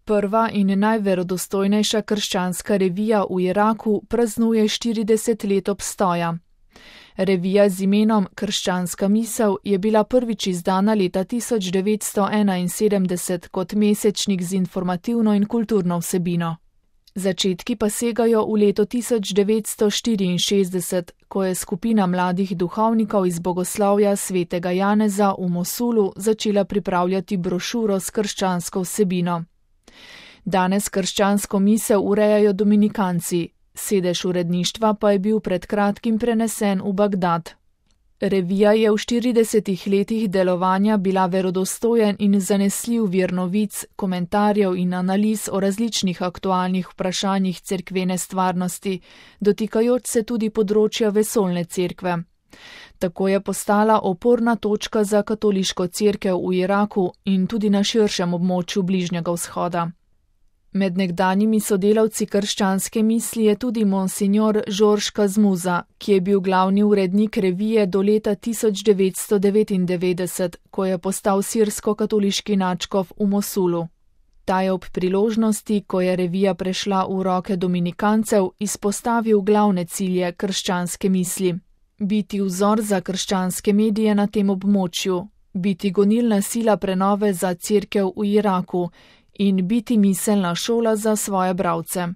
Prva in najverodostojnejša krščanska revija v Iraku praznuje 40 let obstoja. Revija z imenom Krščanska misel je bila prvič izdana leta 1971 kot mesečnik z informativno in kulturno vsebino. Začetki pa segajo v leto 1964, ko je skupina mladih duhovnikov iz bogoslovja svetega Janeza v Mosulu začela pripravljati brošuro s krščansko vsebino. Danes krščansko misel urejajo dominikanci, sedež uredništva pa je bil pred kratkim prenesen v Bagdad. Revija je v 40 letih delovanja bila verodostojen in zanesljiv vir novic, komentarjev in analiz o različnih aktualnih vprašanjih cerkvene stvarnosti, dotikajoč se tudi področja vesoljne cerkve. Tako je postala oporna točka za katoliško cerkev v Iraku in tudi na širšem območju Bližnjega vzhoda. Med nekdanjimi sodelavci krščanske misli je tudi monsignor Žorž Kazmuza, ki je bil glavni urednik revije do leta 1999, ko je postal sirsko-katoliški nadškof v Mosulu. Ta je ob priložnosti, ko je revija prešla v roke dominikancev, izpostavil glavne cilje krščanske misli. Biti vzor za krščanske medije na tem območju, biti gonilna sila prenove za cerkev v Iraku in biti miselna šola za svoje bralce.